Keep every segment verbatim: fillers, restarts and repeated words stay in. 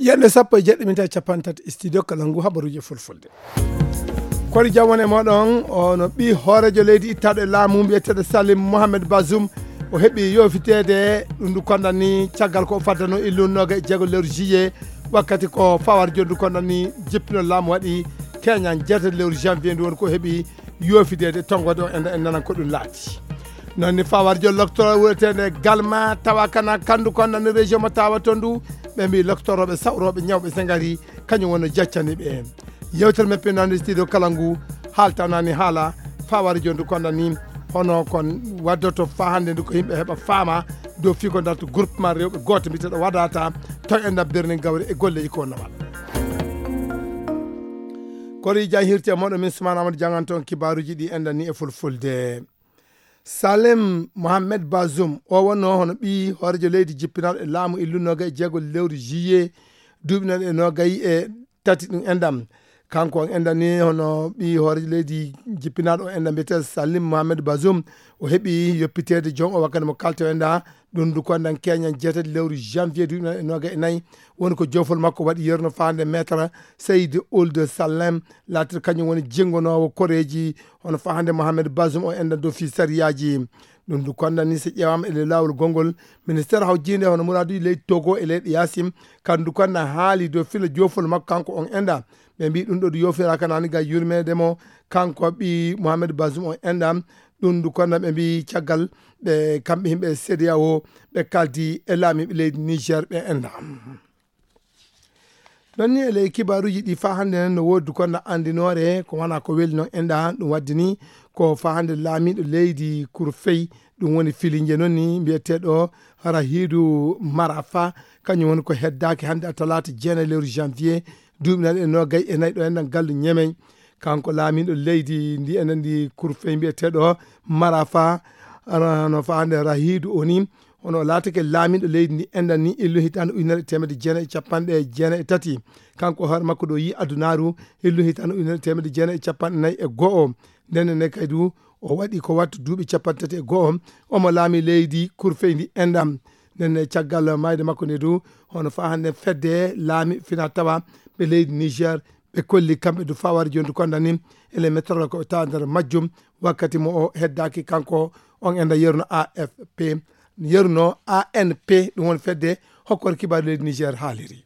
Kende sappo e jeɗɗo minta capanɗe tati, studio kala ngu habaruji fulfulde. Kori jam woni e moɗon, ono ɓi hoorejo leydi ittaɗo e laamu mbiyeteɗo Salim Mohamed Bazoum. O heɓi yofitede ɗum ndu kondani caggal ko o faddano illu noga e jeego lewru juillet, wakkati ko fawar jondu kondani jippino laamu waɗi keñan jeetati lewru janvier ndu woni ko heɓi yofidede tonngode o enda en nanan ko ɗum laati. Noon ni fawar jol loktoro wuretende Galma tawa kana kandu kondani région mo tawa to ndu, ɓe mbi loktoroɓe sawroɓe ñawɓe sengari kañum woni jaccani ɓe. Yewtere meppe nani studio kala ngu haaltanani haala fawar jondu kondani, hono kon waddoto fa hannde ndu ko yimɓe heɓa faama dow figo darto groupement rewɓe gooto mbiyeteɗo wadata taw en ɗaɓɓirni gawri e golleji ko nawal. Kori jan hirte moɗo min Soumana Amadou janganto on kibaruji ɗi enɗan ni e fulfulde. Salem Mohamed Bazoum o wonno hono ɓi hoorejo leydi jippinaɗo e laamu illu noga e jeego lewru juillet duuɓi noga e nogayi e tati ɗum enɗam. Kanko on enɗan ni hono ɓi hoorejo leydi jippinaɗo o enɗam mbiyete Salim Mohamed Bazoum, o heɓi yoppitede joom o wakkati mo kalto enɗa ɗum ndu kondan keñan jeetati lewru janvier duuɓi noga e noga e nayi. Woni ko jofol makko waɗi yerno fande maître Seydi Ould Salem, latir kañum woni jingonowo koreji hono fa hannde Mohamed Bazoum o enɗan dow fi sariyaji. Ɗum ndu kondan ni so ƴeewama e lawol gongol ministère hawjinde hono muraduji leydi Togo e leyɗe yasim, kandu kondan haali dow fila jofol makko kanko on enɗa. Ɓe mbi ɗum ɗo ɗum yofiraka nani ga yurmede mo kanko ɓi Mohamed Bazoum on enɗa. Ɗum ndu kondan ɓe mbi caggal ɓe kamɓe himɓe C D A O ɓe kaldi e laamiɓe leydi Niger ɓe enɗa. Ɗon ni e ley kibaruji ɗi fa hannde nen no woodi ko na anndinoore ko wona ko weli noon enɗa ɗum wadde ni ko fa hannde laamiɗo leydi Kurfey, ɗum woni filinje noon ni mbiyeteɗo Rahidu Marafa, kañum woni ko heddaaki hannde a talaata jeenayi lewru janvier duuɓi naɗe e nogay e nayi ɗo enɗan gallu ñemey. Kanko laamiɗo leydi ndi enen ndi Kurfey mbiyeteɗo Marafa, no fa hannde Rahidu o ni, hono o laatake laamiɗo leydi ndi enɗan ni illu hitande ujunere e temedde jeenayi e capanɗe jeenayi e tati. Kanko hoore makko ɗo yi adunaaru illu hitande ujunere e temedde jeenayi e capanɗe nayi e go'o. Ndenne ne kay du o waɗi ko wattu duuɓi capanɗe tati e go'o, omo laami leydi Kurfey ndi enɗam. Ndenne caggal mayde makko nde du hono fa hannde fedde laami fina tawa ɓe leydi Niger ɓe kolli kamɓe du fawari joni du konda ni ele métrole ko ɓe tawa nder majjum. Wakkati mo o heddaaki kanko on enɗa yeruno A F P, yeruno A N P, ɗum woni fedde hokkore kibaru leydi Niger haaliri.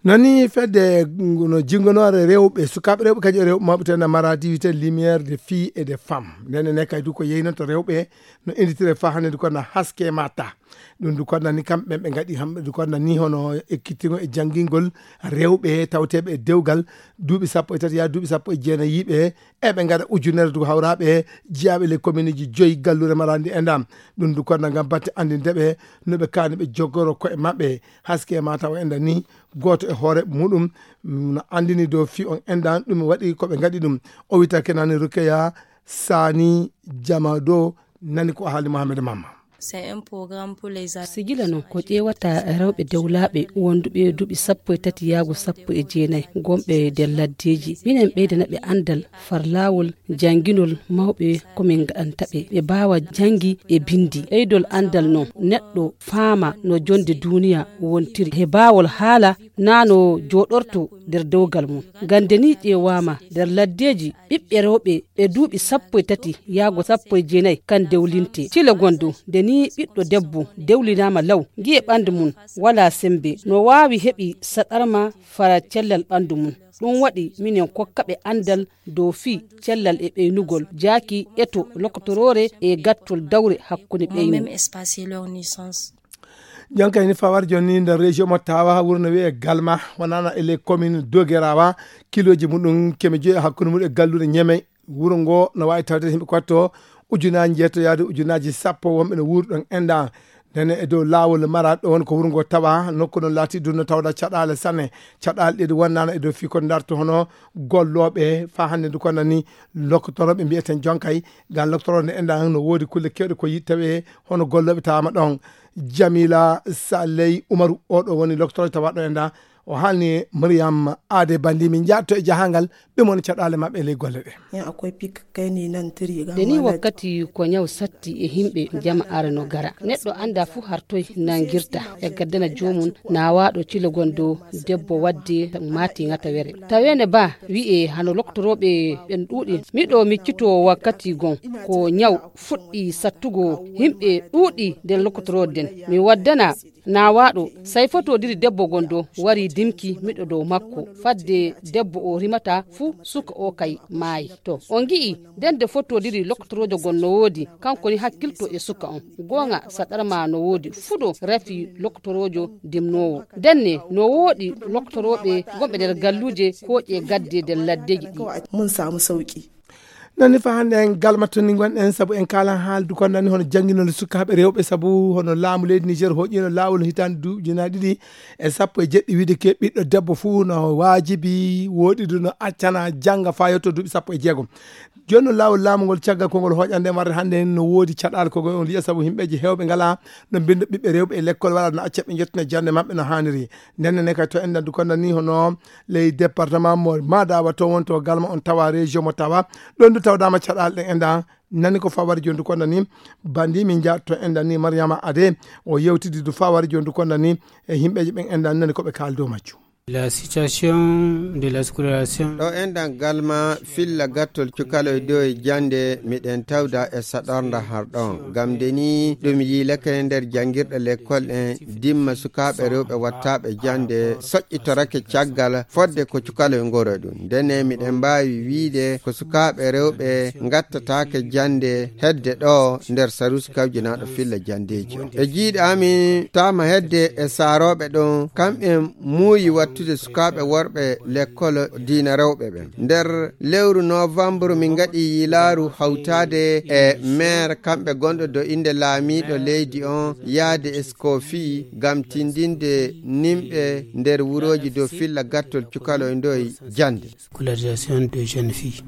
Nani fedde no jingonore rewɓe sukaaɓe rewɓe kañum e rewɓe mawɓe ten na maradi wiyete lumière de fille et de femme. Ndenne ne kay du ko yeynonto rewɓe no inditire fa hannde du ko na haske mata. Ɗum du konda ni kamɓe ɓe ngaɗi hamɓe du konda ni hono ekkittigo e janngingol rewɓe tawteɓe e dewgal duuɓi sappo e tati yaa duuɓi sappo e jeenayi yiɓe eɓe ngaɗa ujunere du hawraɓe jiyaaɓe le commune ji joyi gallure marandi e ndam. Ɗum du konda ngam batte anndinde ɓe no ɓe kaani ɓe joggoro koye maɓɓe. Haske ma tawa enɗan ni gooto e hoore muɗum no anndini dow fi on enɗan ɗum waɗi ko ɓe ngaɗi ɗum. O wita kenani Rukeya Sani Jamado nani ko haali Mohamed Mamma. C'est un programme pour les ad- Sijila noon ko ƴeewata rewɓe dewlaaɓe wonduɓe duuɓi sappo e tati yaago sappo e jeenayi gonɓe nder laddeeji. Minen ɓeydana ɓe anndal far laawol jannginol mawɓe ko min ngaɗanta ɓe. Ɓe mbaawa janngi e binndi. Ɓeydol anndal noon neɗɗo faama no jonnde duuniya wontiri. He baawol haala naa no jooɗorto nder dewgal mum. Ngam nde nii ƴeewaama nder laddeeji ɓiɓɓe rewɓe ɓe duuɓi sappo e tati yaago sappo e jeenayi kan dewlinte. Cile gonɗo nde nii ɓiɗɗo debbo dewlinaama law, ngi'e ɓanndu mum walaa semmbe, no waawi heɓi saɗarma fara cellal ɓanndu mum. Ɗum waɗi minen kokkaɓe anndal dow fii cellal e ɓeynugol, jaaki eto lokotoroore e gattol dawre hakkunde ɓeynu. Même espace leur naissance. Jonkay ni fawar jonni nder région mo tawa wuro no wiye Galma wonana e les communes Dogerawa, kiloji muɗum keme joyi hakkunde muɗum e galluɗe Ñeme. Wuro ngo no wawi tawde himɓe kotto ujunaji jeeto yaade ujunaji sappo wonɓe no wuuri ɗon enɗa. Nene e dow laawol maraɗo on ko wuro ngo tawa nokku no laati dunno tawda caɗale sanne. Caɗale ɗiɗi wonnano e dow fii ko darto hono golloɓe fa hannde ndu ko nani loktoroɓe mbiyeten jonkay. Ngal loktoro nde enɗa no woodi kulle kewɗe ko yittawe hono golloɓe tawama ɗon. Jamila Saley Umaru oɗo woni loktoro tawaɗo enɗa. O haalni Mariam Aade Bandi, min njaatto e jahangal ɓe mon caɗaale maɓɓe e ley golle ɗe. Yan akwai fik kai ne nan tiri ga. Da ni wakkati ko ñaw satti e himɓe jama are no gara. Neɗɗo anda fu hartoy nangirta e gaddana jomum nawaɗo cilogon dow debbo wadde mati ngata were. Tawene ba wi'e hano loktorooɓe ɓen ɗuuɗi. Miɗo miccito wakkati gon ko ñaw fuɗɗi sattugo himɓe ɗuuɗi nder lokotoroden. Mi waddana nawaɗo, sai fotodiri debbo gon do wari dimki miɗo dow makko. Fadde debbo o rimata fu suka o kay maayi. To, on gi'i, nden de fotodiri lokotorojo gon no woodi, kanko ni hakkilto e suka on. Goonga saɗarma no woodi fuɗo rafi lokotorojo dimnowo. Nden ne no woodi lokotoroɓe gonɓe nder galluje koƴe gadde nder laddeji ɗi. Mun samu sauki. Nani fa hannde en galma to ni ngonɗen, sabu en kaalan haaldu kon nani hono jannginol sukaaɓe rewɓe, sabu hono laamu leydi Niger hoƴino laawol hitaande duuɓi ujunaaji ɗiɗi e sappo e jeɗɗi, wiide ke ɓiɗɗo debbo fuu no waajibi woɗidu no accana jannga faa yotto duuɓi sappo e jeegom. Jooni noon laawol laamu ngol caggal konngol hoƴande en warde hannde en no woodi caɗaal ko on liya, sabu himɓeeji heewɓe ngalaa no mbinnda ɓiɓɓe rewɓe e lekkol walla no acca ɓe njottina jannde maɓɓe no haaniri. Nden ne kay to enɗan du konda ni hono ley département mo Madawa to won to galma on tawa région mo tawa. Ɗon du tawdama caɗaal ɗen enɗan nani ko fawari jondu konda ni bandi min ja to enɗan ni Mariama Ade o yewtidi du fawari jondu konda ni e himɓeji ɓen enɗan nani ko ɓe kaali dow majjum. La situation de la scolarisation. Ɗo enɗan galma filla gattol cukaloy dow e jande miɗen tawda e saɗornda har ɗon. Gam de ni ɗum yiilake nder jangirɗe lekkol ɗen dimma sukaaɓe rewɓe wattaaɓe jande soƴƴitorake caggal fodde ko cukaloy ngoro ɗum. Ndene miɗen mbaawi wiide ko sukaaɓe rewɓe ngattataake jande hedde ɗo nder sarusi kawjinaaɗo filla jandeeji on. E jiiɗe amin taama hedde e saarooɓe ɗon, kamɓen muuyi wattude sukaaɓe worɓe lekkol diina rewɓe ɓen. Nder lewru novembre min ngaɗi yiilaaru hawtaade e maire kamɓe gonɗo do innde laamiiɗo leydi on yaade e Scofi ngam tindinde nimɓe nder wurooji dow filla gattol cukaloy ndoy jannde. Scolarisation de jeunes filles.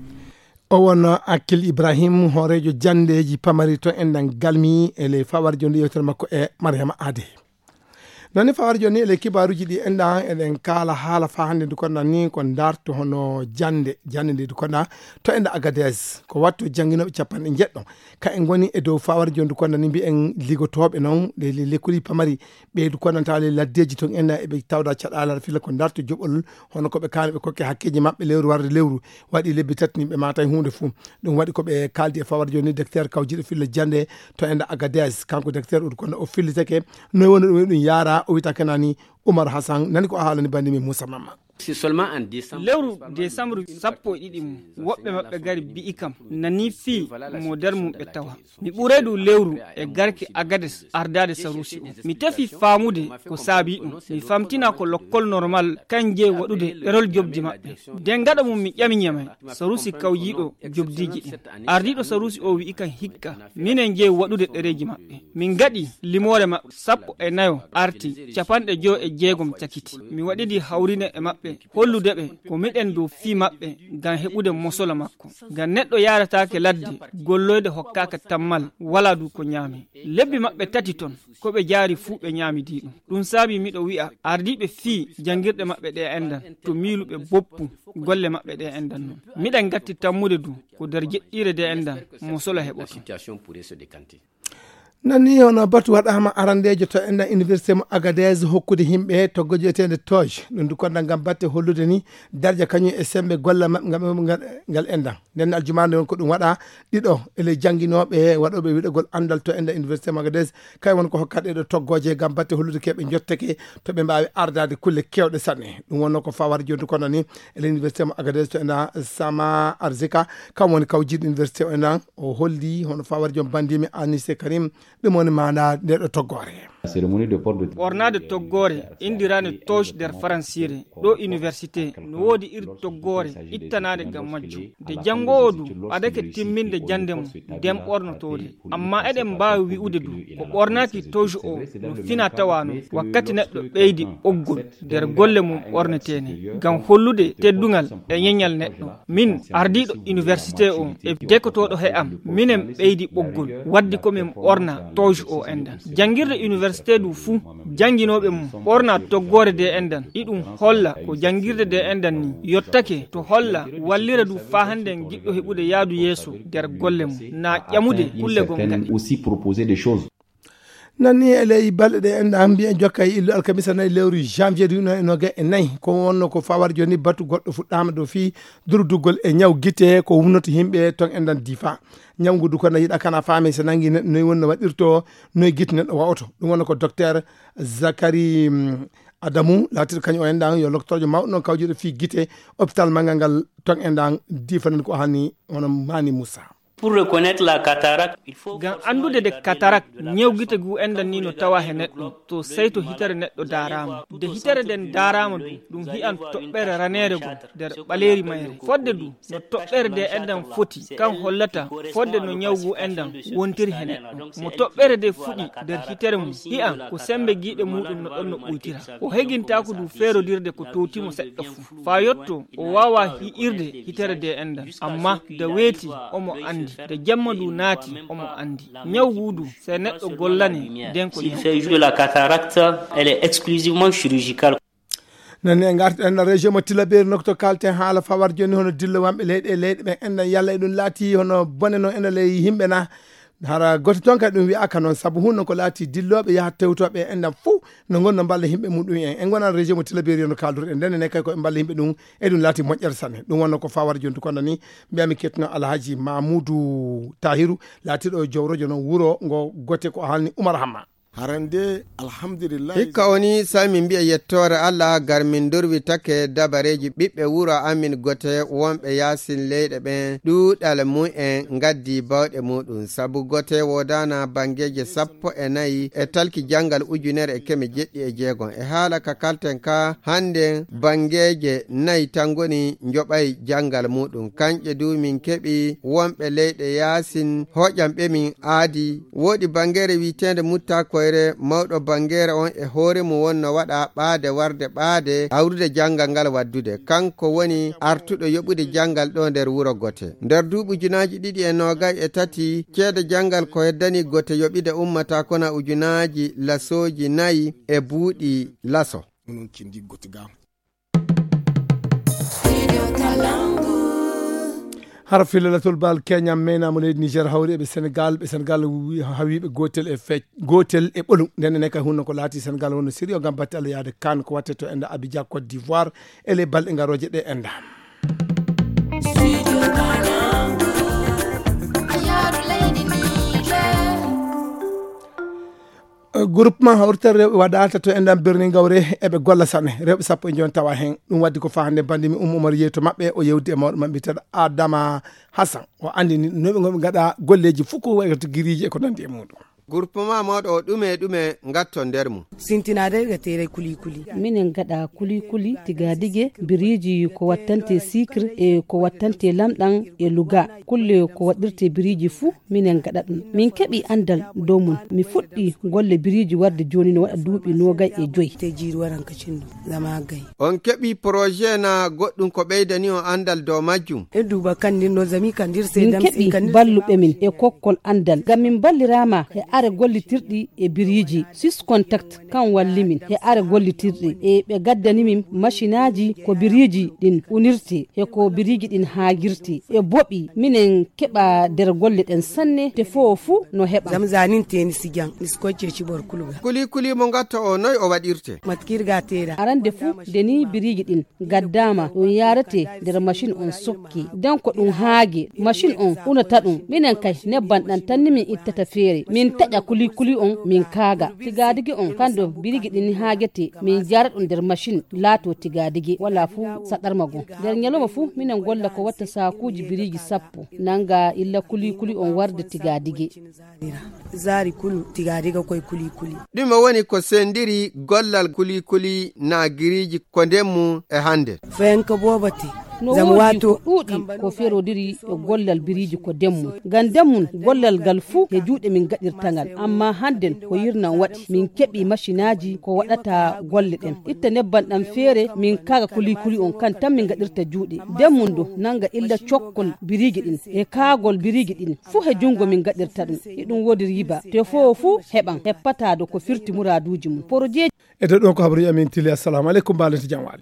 O won Akil Ibrahim, hooreejo janndeeji pamari to enɗan galmi e ley fawar jonde yewtere makko e Mariama Ade. Noon ne fawar joni e ley kibaaruuji ɗi enɗan eɗen kaala haala faa hannde ndu konɗan ni ko ndarto hono jannde, jannde nde ndu konɗan to enɗan Agadez. Ko wattu jannginooɓe capanɗe njeɗɗo. Ka en ngoni e dow fawar joni ndu konɗan ni mbi'en ligotooɓe noon ɗe le-, lekkuuji pamari ɓeydu konɗan tawa ley laddeeji toon enɗan eɓe tawda caɗaala filla ko ndarto joɓol hono ko ɓe kaani ɓe kokke hakkeeji maɓɓe lewru warde lewru. Waɗi lebbi tati ni ɓe maatay huunde fuu. Ɗum waɗi ko ɓe kaaldi e fawar joni docteur kawjiɗo filla jannde to enɗan Agadez. Kanko docteur Udu Konda o fillitake noy woni ɗum e ɗum yaara o wiyata kenani Umar Hassan nani ko o haalani bandi min Moussa Mamma. Lewru décembre sappo e ɗiɗi mum woɓɓe maɓɓe gari bi'i kam nani fii mo nder mum ɓe tawa. Mi ɓuray ɗum lewru e garke Agades ardaade sarusi o. Mi tefi faamude ko saabii ɗum. Mi famtina ko lokkol normal kan jeyi waɗude erol jobdi maɓɓe. Nden gaɗa mum mi ƴami ñamay sarusi kawjiiɗo jobdiiji ɗin. Ardiiɗo sarusi o wi'i kan hikka minen jeyi waɗude ɗereeji maɓɓe. Min gaɗi limoore maɓɓe sappo e nayo arti, capanɗe joyo e jeegom cakiti. Mi waɗidi hawrine e maɓɓe hollude ɓe ko miɗen dow fii maɓɓe ngam heɓude mosola makko. Ngam neɗɗo yaarataake ladde golloyde hokkaaka tammal walaa du ko ñaami. Lebbi maɓɓe tati ton ko ɓe jaari fuu ɓe ñaamidii ɗum. Ɗum saabii miɗo wi'a ardiiɓe fii janngirɗe maɓɓe ɗe enɗan to miiluɓe boppu golle maɓɓe ɗe enɗan non. Miɗen ngatti tammude du ko nder jeɗɗiire de enɗan mosola heɓoto. Nani hono batu waɗaama arandeejo to enɗan université mo Agadez hokkude himɓe toggo jeeteende tooj. Ɗum du konɗan ngam batte hollude ni darja kañum e sembe golle maɓɓe ngam ngal enɗan. Nden aljumaande on ko ɗum waɗa ɗiɗo e ley jannginooɓe waɗooɓe wiɗogol anndal to enɗan université mo Agadez. Kay won ko hokkat ɗeɗo toggooje ngam batte hollude keɓe njottake to ɓe mbaawi ardaade kulle keewɗe sanne. Ɗum wonno ko fawar joni du konɗan ni e ley université mo Agadez to enɗan Sama Arzika. Kam woni kawjiiɗo université o enɗan o holli hono fawar jom bandimi Anise Karim. Ɗum woni maana nde ɗo toggoore. Ɓornaade toggoore indiraande tooj nder faransiire ɗo université no woodi iri toggoore ittanaade ngam majjum. Nde janngoowo du ɓadake timminde jannde mum nden ɓornotoode. Amma eɗen mbaawi wi'ude du ko ɓornaaki tooj o no fina tawa non wakkati neɗɗo ɓeydi ɓoggol nder golle mum ɓorneteene ngam hollude teddungal e ñeñal neɗɗo. Min ardiiɗo université o e dekotooɗo he am minen ɓeydi ɓoggol waddi ko min ɓorna tooj o enɗan. Janngirde université Stedu fuu, jannginooɓe mum ɓorna toggoore de endan, iɗum holla ko janngirde de endan ni yottake to holla wallira du faa hannde en giɗɗo heɓude yaadu yeeso nder golle mum, na ƴamude kulle gom gaɗe. Aussi proposer des choses. Nan ni e ley balɗe ɗe enɗa mbiyen jokka e illu alkamisa nayi lewru janvier du no e noga e nayi ko wonno ko fawar joni batu goɗɗo fuɗɗama ɗo fii durduggol e ñaw gite ko wumnoto yimɓe ton enɗan difa. Ñaw ngu du ko na yiɗa kana faami so nangi neɗɗo noy wonno waɗirto, noy gite neɗɗo wa'oto. Ɗum wonno ko docteur Zakari mm, Adamu laatiɗo kañum o enɗan yo loktorjo mawɗo noon kawjuɗo fii gite hôpital manngal ngal ton enɗan difanen ko hani hono Mani Moussa. Pour reconnaître la cataracte, il faut ngam anndude de katarak ñewgite gu enɗan ni no tawa he neɗɗo to seyto hitere neɗɗo daarama de hitere nden daarama du ɗum hi'an toɓɓere raneere goo nder ɓaleeri mayre. Fodde du no toɓɓere de enɗan foti kan hollata fodde no ñaw gu enɗan wontiri he neɗɗo mo toɓɓere de fuɗi nder hitere mum hi'an ko sembe giiɗe muɗum no ɗon no ɓuytira. O hegintaako du feerodirde ko towtimo seɗɗa fuu faa yotto o waawaa hi'irde hitere de enɗan. Amma da weeti omo anndi, da jemma du naati omo anndi. Ñaw gu du sey neɗɗo gollane nden ko ñaw. Fait juste de la cataracte, elle est exclusivement chirurgicale. Nani en ngarti en région mo Tillabéri nokto kalten haala fawar joni hono dillo wamɓe leyɗe e leyɗe ɓen enɗan yalla e ɗum laati hono bone no ena ley yimɓe na. Hara goto toon kadi ɗum wiyaka noon sabu hunno ko laati dillooɓe yaha tewtooɓe e enɗan fof no ngonno mballa yimɓe muɗum en en gonan région mo Tillabéri no kalduɗen nden ene kay ko ɓe mballa yimɓe ɗum. E ɗum laati moƴƴere sanne ɗum wonno ko fawar joni to konda ni mbiyami kettuno Alhaji Mamoudou Tahirou laatiɗo jowrojo noon wuro ngo gote ko halni Oumar Hamma. Harande alhamdulillah. Hikka o ni sai min mbi'a yettoore Allah gar min durwitake dabareeji ɓiɓɓe wuro amin gote wonɓe yaasin leyɗe ɓen ɗuuɗal mu'en ngaddi bawɗe muɗum sabu gote woodana bangeeje sappo e nayi e talki janngal ujunere e keme jeɗɗi e jeegom e haala ka kalten ka hannden bangeeje nayi tan ngoni njoɓay janngal muɗum kanƴe du min keɓi wonɓe leyɗe yaasin hoƴan ɓe min aadi. Woodi bangeere wi'eteende Mutta Koyre, mawɗo bangeere on e hoore mum wonno waɗa ɓaade warde ɓaade awrude janngal ngal waddude. Kanko woni artuɗo yoɓude janngal ɗo nder wuro Gote. Nder duuɓi ujunaaji ɗiɗi e noogay e tati, ceede janngal ko heddani Gote yoɓide ummata kona ujunaaji lasooji nayi e buuɗi laso. Onon kindi Gote ga. Hara filalatol bal Kenya meynaama leydi Niger hawri eɓe Senegal ɓe Senegal hawiiɓe gootel e fec gootel e ɓolum nden ene kay hunno ko laati Senegal wonno sérieux ngam batte Allah yaade kan ko watte to enda Abidjan Côte d'Ivoire e ley balɗe ngarooje ɗe enda. Groupement hawrital rewɓe waɗaata to enɗan birni gawre eɓe golla sanne rewɓe sappo e jooni tawa heen. Ɗum waddi ko faa hannde banndi mi ummo umar yeeto maɓɓe o yewdi e mawɗo maɓɓe biteeɗo Adama Hassan o anndini no ɓe ngoɓe ngaɗa golleeji fof ko wayata giriiji e ko nanndi e muɗum. Groupement mawɗo o ɗume e ɗume ngatto nder mum. Sintinade ga tere kuli kuli. Minen ngaɗa kuli kuli tigadige biriiji ko wattante sikre e ko wattante lamɗam e luga kulle ko waɗirte biriiji fuu. Minen ngaɗa ɗum min keɓi anndal dow mum mi fuɗɗi golle biriiji warde jooni no waɗa duuɓi noogay e joyi. Te jiiri waran ka cindu zama gay. On keɓi projet na goɗɗum ko ɓeydani on anndal dow majjum. E duuba kandir no zami kandir se min dam si keɓi kandir balluɓe min e kokkol anndal ngam min mballiraama e are gollitirɗi e biriiji sis contact kan walli min e are gollitirɗi e ɓe gaddani min masinaaji ko biriiji ɗin unirte e ko biriiji ɗin haagirte e boɓi minen keɓa nder golle ɗen sanne te fof fuu no heɓa. Zam zanin teni si jan mi si kocce ci bor kuluga. Kuli kuli mo ngatto o noy o waɗirte. Matkirga tera arande fuu de ni biriiji ɗin gaddaama ɗum yaarete nder masin on sokke den ko ɗum haage masin on unata ɗum minen kay nebban ɗan tan ni min ittata feere min taƴa kuli kuli on min kaaga tigaadigi on kando biriiji ɗin haagete min jaara ɗum nder masin laato tigaadigi wala fuu saɗarma gon nder ñaloma fuu minen golla ko watta saakuuji biriiji sappo nanga illa kuli kuli on warde tigaadigi. Zaari kulu tigaadiga koye kuli kuli. Ɗume woni ko sendiri gollal kuli kuli na giriiji ko ndemmu e hannde. Fayanka booba te No woodi ko ɗuuɗi ko ferodiri e gollal biriiji ko demmun. Ngam demmun gollal ngal fuu e juuɗe min gaɗirta ngal. Amma hannden ko yirnan waɗi min keɓi masinaaji ko waɗata golle ɗen. Itta nebban ɗan feere min kaaga kulikuli on kan tan min gaɗirta juuɗe. Demmun du nanga illa cokkol biriiji ɗin e kaagol biriiji ɗin fuu e junngo min gaɗirta ɗum. Iɗum woodi riiba. Te foo fuu heɓan heppataado ko firti muraaduuji mun. Porojeeji. E dow ɗon ko habaruuji amin tili. Assalamu aleykum, mbaalente jam waali.